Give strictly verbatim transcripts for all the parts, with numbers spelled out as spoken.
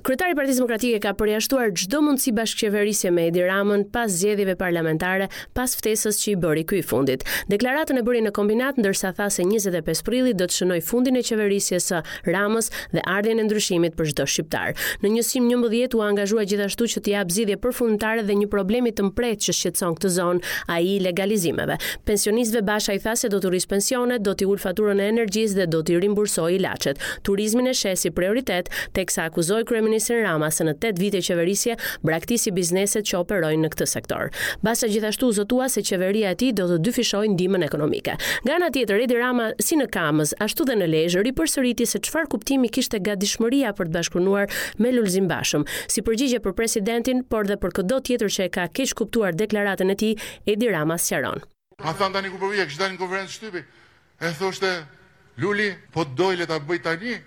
Kryetari i Partisë Demokratike ka përjashtuar çdo mundësi bashkëqeverisje me Edi Ramën pas zgjedhjeve parlamentare, pas ftesës që i bëri ky i fundit. Deklaratën e bëri në Kombinat, ndërsa tha se njëzet e pesë prilli do të shënojë fundin e qeverisjes së Ramës dhe ardhjen e ndryshimit për çdo shqiptar. Në njësim njëmbëdhjetë u angazhua gjithashtu që t'i japë zgjidhje përfundimtare dhe një problemi të mprehtë që shqetëson këtë zonë, ai i legalizimeve. Pensionistëve Basha i tha se do t'u rrisë pensionet, do t'i ulë faturën e energjisë dhe do t'i rimbursojë ilaçet. Turizmin e sheh si prioritet, teksa akuzoi kryeministrin Rama se në tetë vite qeverisje braktisi bizneset që operojnë në këtë sektor. Basha gjithashtu u zotua se qeveria e tij do të dyfishojë ndihmën ekonomike. Nga ana tjetër, Edi Rama si në Kamëz, ashtu dhe në Lezhë ripërsëriti se çfarë kuptimi kishte gatishmëria për të bashkëpunuar me Lulzim Bashën. Si përgjigje për presidentin, por dhe për këdo tjetër që e ka keq kuptuar deklaratën e tij, Edi Rama sqaron. Ma than tani ku po vije, kishte dalë në konferencë shtypi. E thoshte Luli, po dojle ta bëj tani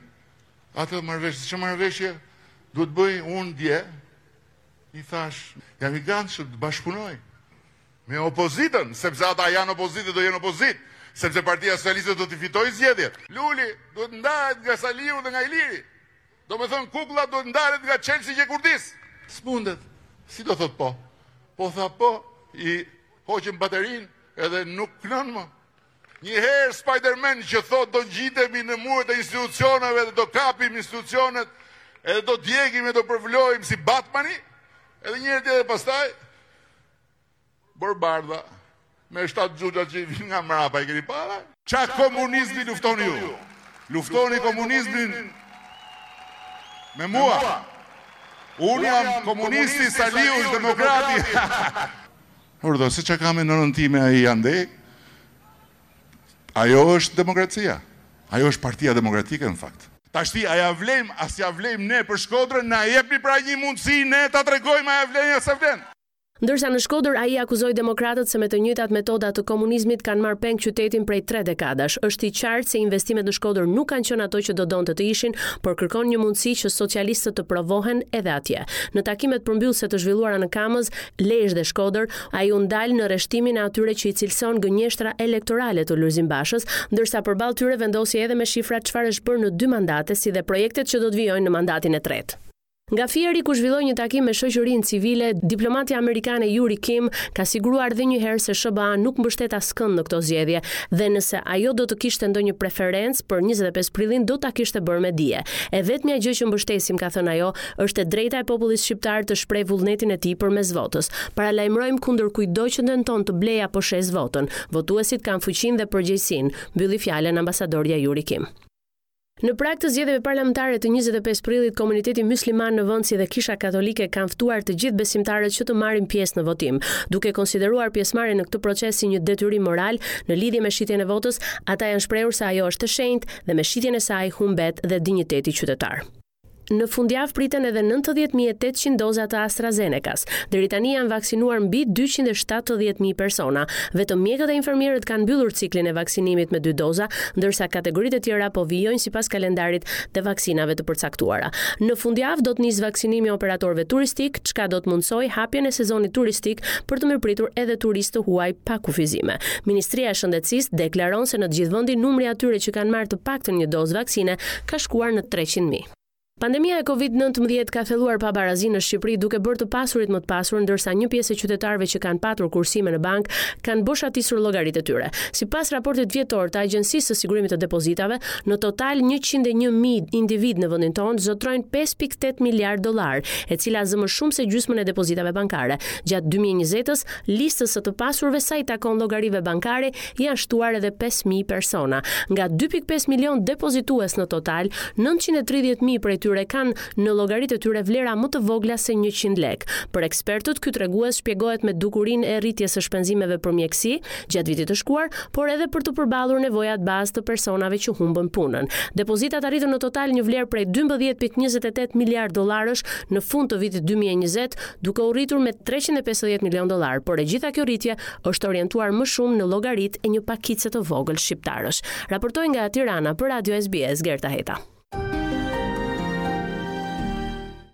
atë marrëveshje, çfarë marrëveshje duhet bëj unë dje? I thash, jam i gatshëm të bashkëpunoj me opozitën, sepse ata janë opozitë dhe do jenë opozitë, sepse Partia Socialiste do t'i fitojë zgjedhjet. Luli duhet ndahet nga Saliu dhe nga Iliri. Do me thënë, kuklla duhet ndahet nga Chelsea që kurdis. S'mundet. Si do thot po? Po tha po, i hoqëm baterinë edhe nuk kënon më. Një herë Spider-Man që thot do ngjitemi në muret e institucioneve dhe do kapim institucionet, edhe do djegim e do përvlojmë si Batmani, edhe një herë tjetër pastaj Borbardha me shtatë xhuxhat që i vinë nga mrapa, i keni para? Qa komunizmi luftoni ju? Luftoni komunizmin me mua. Unë jam komunisti, Saliu është demokrati. Urdhë, se qa ka me nënën time ai andej? Ajo është demokracia. Ajo është Partia Demokratike në fakt. Tashti, a ja vlejm, a s'ja vlejm ne për Shkodrën, na jepni pra një mundësi ne ta tregojmë a ja vlejm, a s'ja vlen. Ndërsa në Shkodër ai akuzoi demokratët se me të njëjtat metoda të komunizmit kanë marrë peng qytetin prej tre dekadash. Është i qartë se investimet në Shkodër nuk kanë qenë ato që do donte të ishin, por kërkon një mundësi që socialistët të provohen edhe atje. Në takimet përmbyllëse të zhvilluara në Kamëz, Lezhë dhe Shkodër, ai u ndal në rreshtimin e atyre që i cilëson gënjeshtra elektorale të Lulzim Bashës, ndërsa përballë tyre vendosi edhe me shifra çfarë është bërë në dy mandate, si dhe projektet që do të vijojnë në mandatin e tretë. Nga Fieri, ku zhvilloi një takim me shoqërinë civile, diplomatja amerikane Yuri Kim ka siguruar edhe një herë se S H B A nuk mbështet askënd në këto zgjedhje dhe nëse ajo do të kishte ndonjë preferencë për njëzet e pesë prillin do ta kishte bërë me dije. E vetmja gjë që mbështesim, ka thënë ajo, është e drejta e popullit shqiptar të shprehë vullnetin e tij përmes votës. Paralajmërojmë kundër kujtdo që tenton të blejë apo shesë votën. Votuesit kanë fuqinë dhe përgjegjësinë, mbylli fjalën ambasadorja Yuri Kim. Në prag të zgjedhjeve parlamentare të njëzet e pesë prillit, komuniteti musliman në vend si dhe Kisha Katolike kanë ftuar të gjithë besimtarët që të marrin pjesë në votim, duke konsideruar pjesëmarrjen në këtë proces si një detyrim moral në lidhje me shitjen e votës. Ata janë shprehur se ajo është e shenjtë dhe me shitjen e saj humbet dhe dinjiteti qytetar. Në fundjavë priten edhe nëntëdhjetë mijë e tetëqind doza të AstraZeneca-s. Deri tani janë vaksinuar mbi dyqind e shtatëdhjetë mijë persona. Vetëm mjekët e infermierët kanë mbyllur ciklin e vaksinimit me dy doza, ndërsa kategoritë e tjera po vijojnë sipas kalendarit të vaksinave të përcaktuara. Në fundjavë do të nisë vaksinimi i operatorëve turistik, çka do të mundsojë hapjen e sezonit turistik për të mirëpritur edhe turistë të huaj pa kufizime. Ministria e Shëndetësisë deklaron se në të gjithë vendin numri i atyre që kanë marrë të paktën një dozë vaksine ka shkuar në treqind mijë. Pandemia e Covid nëntëmbëdhjetë ka thelluar pabarazinë në Shqipëri, duke bërë të pasurit më të pasur, ndërsa një pjesë e qytetarëve që kanë patur kursime në bank kanë boshatisur llogaritë e tyre. Sipas raportit vjetor të Agjencisë së Sigurimit të Depozitave, në total njëqind e një mijë individ në vendin tonë zotrojnë pesë pikë tetë miliard dollar, e cila zë më shumë se gjysmën e depozitave bankare. Gjatë dy mijë e njëzet-s, listës së të pasurve sa i takon llogarive bankare janë shtuar edhe pesë mijë persona. Nga dy pikë pesë milion depozitues në total, nëntëqind e tridhjetë mijë prej tyre kanë në llogaritë e tyre vlera më të vogla se njëqind lekë. Për ekspertët, ky tregues shpjegohet me dukurinë e rritjes së shpenzimeve për mjekësi gjatë vitit të shkuar, por edhe për të përballur nevojat bazë të personave që humbën punën. Depozitat arritën në total një vlerë prej dymbëdhjetë pikë njëzet e tetë miliard dollarësh në fund të vitit dy mijë e njëzet, duke u rritur me treqind e pesëdhjetë milion dollar, por e gjitha kjo rritje është orientuar më shumë në llogaritë e një pakice të vogël shqiptarësh. Raportoi nga Tirana për Radio S B S Gerta Heta.